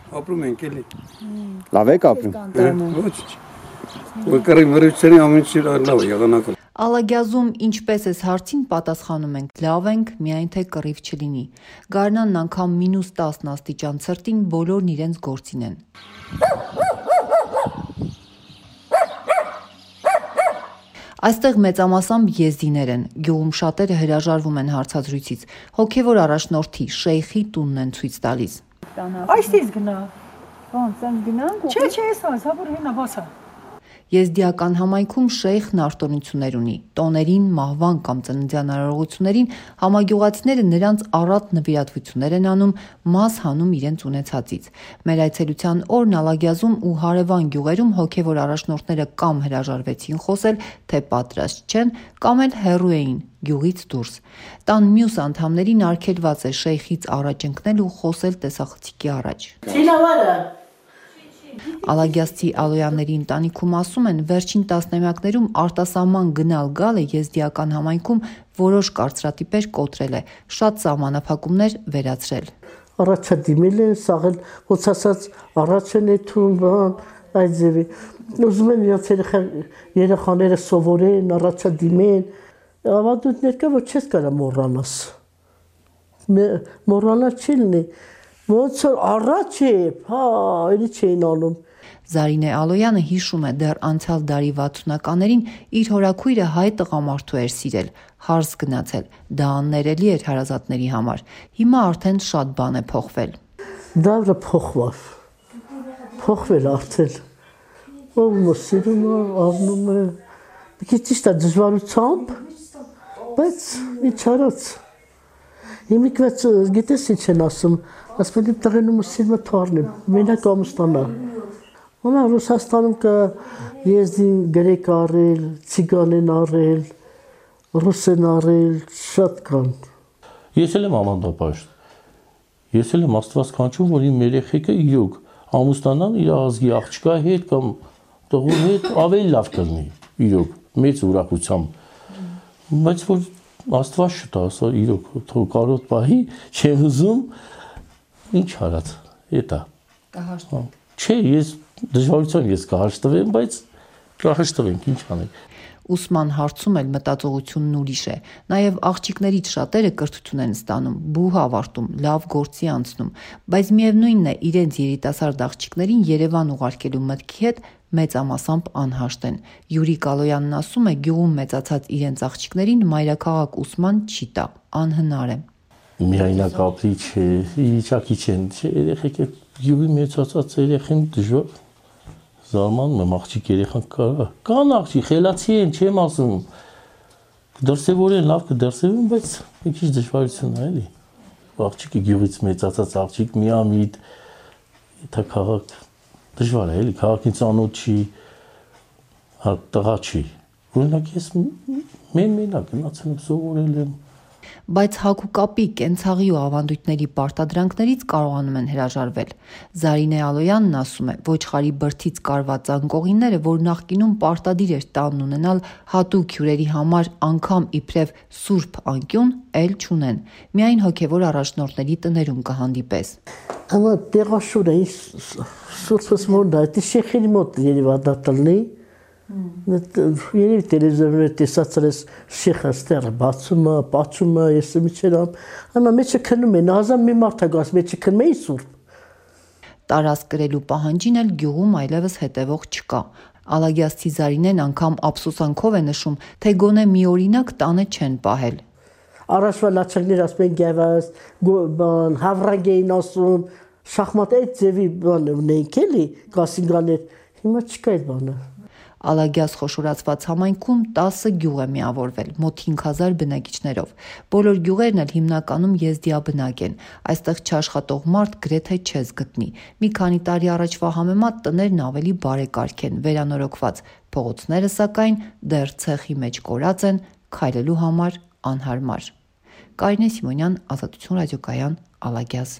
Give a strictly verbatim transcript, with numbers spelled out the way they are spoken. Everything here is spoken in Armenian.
ապրում ենք էլի։ Լավ եք ապրում։ Ոչ։ Ոկարի մրցերի ամենից լավ եղանակը։ Ալագյազում ինչպես էս հարցին պատասխանում ենք լավ ենք, միայն թե կռիվ չլինի։ Գարնանն անգամ մինուս տասն աստիճան ցրտին բոլորն իրենց գործին են։ Այստեղ մեծամասամբ եզդիներ են, գյուղում շատերը հրաժարվում են հարցազրույցից, հոգևոր առաջնորդի շեյխի տունն են ցույց տալիս։ Այստից գնա։ Ոնց են գնանք։ Չէ, չէ, էս այս հաբուր հենա բասա։ Եզդիական համայնքում շեյխն արտոնություններ ունի, տոներին, մահվան կամ ծննդյան արարողություններին համագյուղացիները նրանց առատ նվիրատվություններ են անում, մաս հանում իրենց ունեցածից։ Մեր այցելության օրն Ալագյազում ու հարևան գյուղերում հոգևոր առաջնորդները կամ հրաժարվեցին խոսել, թե պատրաստ չեն, կամ էլ հեռու էին գյուղից դուրս։ Տան մյուս անդամներին արգելված է շեյխից առաջ ընկնել ու խոսել տեսախցիկի առաջ։ Ալագյազցի Ալոյանների ընտանիքում ասում են, վերջին տասնամյակներում արտասահման գնալ-գալը եզդիական համայնքում որոշ կարծրատիպեր կոտրել է, շատ սահմանափակումներ վերացրել։ Առաջա դիմել են, սաղել, ոնց ասած, առաջ են եթում, այդ ձևի։ Ուզում են իրաց երեխաները սովորեն, առաջա դիմեն, ավանդույթներ կա, որ չես կարա մոռանաս։ Մոռանալ չի լինի։ Ոնց որ առաջ է, հա, էլի չէին անում։ Զարինե Ալոյանը հիշում է դեռ անցյալ դարի վաթսունականներին իր հորաքույրը հայ տղամարդու էր սիրել, հարս գնացել, դա աններելի էր հարազատների համար։ Հիմա արդեն շատ բան է փոխվել։ Դավրը փոխվավ, փոխվել արդեն, ով սիրում է, ավնում է, մի քիչ ճիշտ է դժվարությամբ, բայց ինչ արած։ Հիմիկվեց գիտես ինչ են ասում, ասում եմ տղենում սիրում է թարնի, մենակ ամուսնանա։ Ոնա Ռուսաստանում կա եզդին գրեք առել, ցիգան են առել, ռուս են առել, շատ կան։ Ես էլ եմ ամանդապաշտ։ Ես էլ եմ Աստված կանչում, որ իմ երեխեքը իրոք ամուսնանան իր ազգի աղջկա հետ կամ տղու հետ ավելի լավ կլինի, իրոք, մեծ ուրախությամբ։ Բայց որ Աստված շտա, ասա իրոք, թող կարոտ պահի, չեմ ուզում, ինչ արած, էտա։ Կհաշտվեմ։ Չէ, ես դժվարությամբ ես կհաշտվեմ, բայց կհաշտվենք, ինչ անենք։ Ուսման հարցում էլ մտածողությունն ուրիշ է, նաև աղջիկներից շատերը կրթություն են ստանում, բուհ ավարտում, լավ գործի անցնում, բայց միևնույնն է իրենց երիտասարդ աղջիկներին Երևան ուղարկելու մտքի հետ մեծամասամբ անհաշտ են։ Յուրիկ Ալոյանն ասում է, գյուղում մեծացած իրենց աղջիկներին մայրաքաղաք ուսման չի տա, անհնար է։ Միայնակ ապրի չէ, իջակի չեն, չէ, երեխեք գյուղի մեծացած երեխեն դժվար զարմանում եմ, աղջիկ երեխան կա, կան աղջիկ, խելացի են, չեմ ասում, դրսևորեն, լավ կդրսևորեն, բայց մի քիչ դժվարություն է, էլի։ Աղջիկը գյուղից մեծացած աղջիկ, միամիտ, դա քաղաք դժվար է, էլի, քաղաքին ծանոթ չի, տղա չի։ Օրինակ ես մեն-մենակ գնացել եմ, սովորել եմ։ Բայց հագուկապի, կենցաղի ու ավանդույթների պարտադրանքներից կարողանում են հրաժարվել։ Զարինե Ալոյանն ասում է, ոչխարի բրդից կարված անկողինները, որ նախկինում պարտադիր էր տանն ունենալ հատուկ հյուրերի համար անգամ իբրև սուրբ անկյուն, էլ չունեն։ Միայն հոգևոր առաջնորդների տներում կհանդիպես։ Ama տեղաշուր է, սուրբս մոտ է, դի շեխերի մոտ երևա դա տլնի, երևի տելևիզորներ տեսածել ես շեխը ստերը բացում է, պաչում է, ես միջերամ, անա մեջը քնում են, հազան մի մարդ է գաս, մեջը քնում էի սուրբ։ Տարածք կրելու պահանջին էլ գյուղում այլևս հետևող չկա։ Ալագյազցի Զարինեն անգամ ափսոսանքով է նշում, թե գոնե մի օրինակ տանը չեն պահել։ Առաջվա լաչակներ ասում են գևաս, հավրագ էին ասում, շախմատ այդ ձևի բան ունեինք էլի, կասինգաներ, հիմա չկա այդ բանը։ Ալագյազ խոշորացված համայնքում տասը գյուղ է միավորվել, մոտ հինգ հազար բնակիչներով։ Բոլոր գյուղերն էլ հիմնականում եզդիաբնակ են, այստեղ չաշխատող մարդ գրեթե չես գտնի։ Մի քանի տարի առաջվա համեմատ տներն ավելի բարեկարգ են, վերանորոգված, փողոցները սակայն դեռ ցեխի մեջ կորած են, քայլելու համար անհարմար։ Կարինե Սիմոնյան, Ազատություն ռադիոկայան, Ալագյազ։